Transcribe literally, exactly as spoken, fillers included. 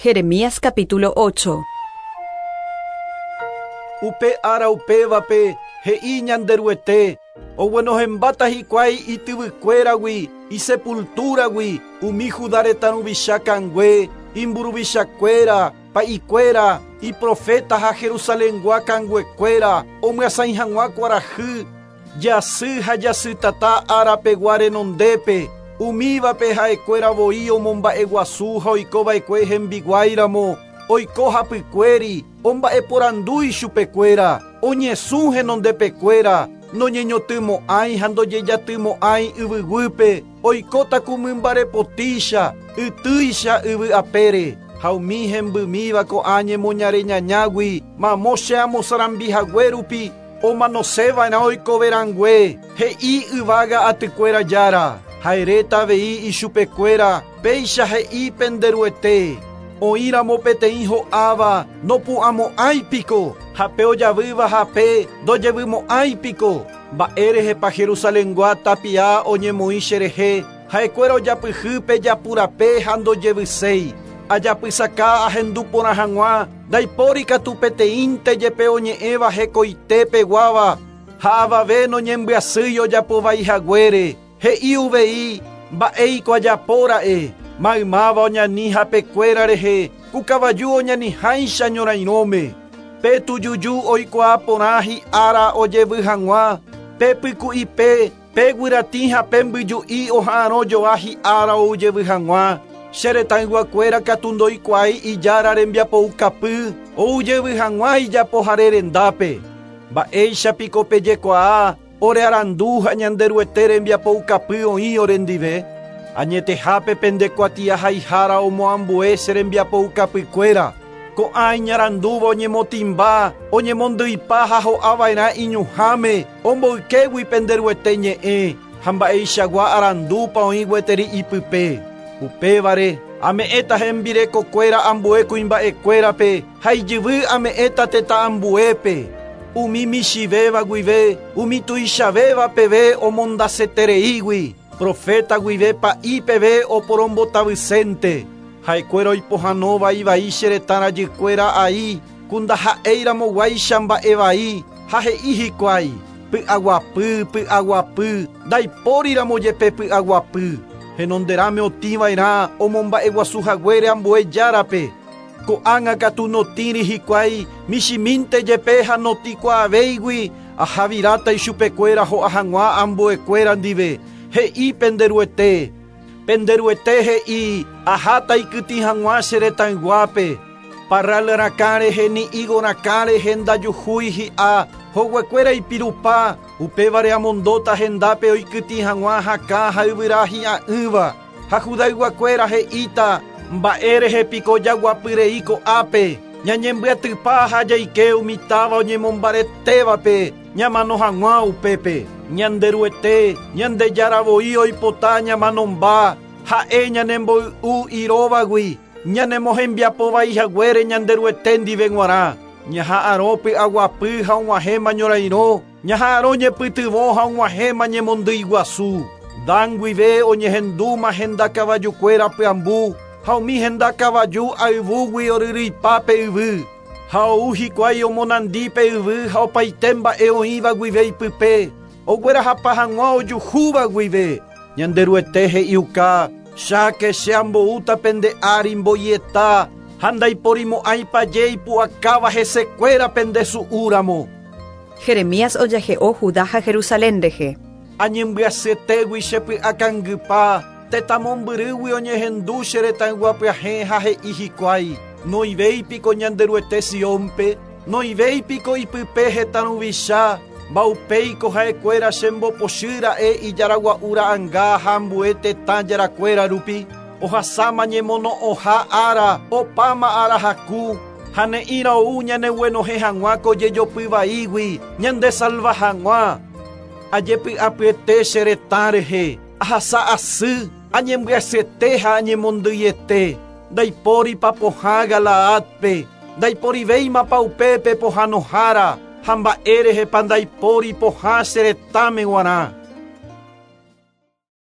Jeremías capítulo ocho. Upe ara upévape he'i Ñanderuete, oguenohẽmbáta hikuái ityvykuéragui, isepultúragui, umi Judá retã ruvicha kangue, imburuvichakuéra, pa'ikuéra, iprofeta ha Jerusalengua kanguekuéra, omyasãi hag̃ua kuarahy, jasy ha jasytata árapegua renondépe, umívape ha'ekuéra voi omomba'eguasu ha oikova'ekue hembiguáiramo, oiko hapykuéri, omba'eporandúi chupekuéra, oñesũ henondepekuéra, noñeñotymo'ãi ha ndojejatymo'ãi yvyguýpe, oikóta ku mymbarepotícha, ytýicha yvy apére, ha umi hembymíva ko'ã ñemoñareñañágui, mamo che amosarambihague rupi, omanoseva'erã oikoverangue, he'i yvága atykuéra jára, ha'eréta avei ichupekuéra, péicha he'i penderuete. Oĩramo peteĩ ho'áva nopu'ãmo'ãipiko, hape ojavýva hape ndojevymo'ãipiko. Mba'érehepa Jerusalengua tapia oñemoĩ cherehe, ha'ekuéra ojapyhýpe japurape ha ndojevyséi. Ajapysaka ahendu porã hag̃ua, ndaipóri katu peteĩnte jepe oñe'ẽva hekoitépeguáva, ha avave noñembyasýi ojapovaihaguére. He'i uvei mba'éiko ajapóra'e, maymáva oñani hapekuéra rehe, ku kavaju oñaniháicha ñorairõme. Pe tujuju oikuaa porã hi'ára ojevy hag̃ua, pe pyku'ipe, pe guyratĩ ha pe mbyju'i oha'arõjoa hi'ára oujevy hag̃ua. Che retãyguakuéra katu ndoikuaái ijára rembiapoukapy, oujevy hag̃ua ijapohare rendápe. Mba'éichapiko pejekuaa, ore arandu ha Ñanderuete rembiapoukapy oĩ orendive. Añetehápe pendekuatiahaihára omoambue che rembiapoukapykuéra. Ko'ã iñarandúva oñemotĩmba, oñemondýipa ha ho'ava'erã iñuhãme, omboykégui penderuete ñe'ẽ, ha mba'eichagua arandúpa oĩ gueteri ipype. Upévare, ame'ẽta hembirekokuéra ambue kuimba'ekuérape, ha ijyvy ame'ẽta tetã ambuépe. Umi michĩvéva guive, umi tuichavéva peve omondasetereígui, profeta guive pa'i peve oporombotavysénte. Ha'ekuéra oipohãnóva ivai che retã rajykuéra ai, ku ndaha'éiramoguáicha mba'evai, ha he'i hikuái, py'aguapy, py'aguapy, ndaipóriramo jepe py'aguapy. Henonderãme otĩva'erã omomba'eguasuhaguére ambue járape. Ko'ág̃a katu notĩri hikuái, michĩmínte jepe ha notĩkuaavéigui, ahaviráta ichupekuéra ho'a hag̃ua ambuekuéra ndive. He'i penderuete. Penderuete he'i, aháta ikytĩ hag̃ua che retãyguápe. Parral rakã rehe ni higo rakã rehe ndajuhúi hi'a, hoguekuéra ipirupa, upévare amondóta hendápe oikytĩ hag̃ua hakã ha yvyra hi'a'ỹva. Ha Judayguakuéra he'íta, mba'érehe piko jaguapyrei ko'ápe, ñañembyatypa ha jaike umi táva oñemombaretévape, ñamano hag̃ua upépe. Ñanderuete, Ñandejára voi oipota ñamanomba, ha'e ñanemboy'u iróvagui, ñanemohembiapovaihaguére Ñanderuete ndive g̃uarã. Ñaha'arõ py'aguapy ha og̃uahẽma ñorairõ, ñaha'arõ ñepytyvõ ha og̃uahẽma ñemondýiguasu. Dan guive oñehendúma henda kavajukuéra pyambu, ha umi henda kavaju ayvúgui oryrýipa pe yvy. Ha ou hikuái omonandi pe yvy ha opaite mba'e oĩva guive ipype, oguerahapa hag̃ua ojuhúva guive. Ñanderuete he'iuka, cháke che amboúta pende ári mboieta, ha ndaiporimo'ãipa jeipu'akáva hesekuéra pendesu'úramo. Jeremías ojahe'o Judá ha Jerusalén rehe. Añembyasyetegui che py'akangypa, tetã mombyrýgui oñehendu che retãyguapyahẽ ha he'i hikuái, noivéipiko Ñanderuete Siónpe, noivéipiko ipype hetã ruvicha, mbaupéiko ha'ekuéra chembopochýra'e ijaragua'u ra'ãnga ha ambue tetã jarakuéra rupi, ohasáma ñemono'õha ára, opáma ára haku, ha ne'ĩra ou ñaneguenohẽ hag̃ua ko jejopyvaígui, ñandesalva hag̃ua. Ajepy'apyete che retã rehe, ahasa asy, añembyasyete ha añemondýiete. Ndaipóripa pohã Galaádpe, ndaiporivéimapa upépe pohãnohára, ha mba'érehepa ndaipóri pohã che retãme g̃uarã.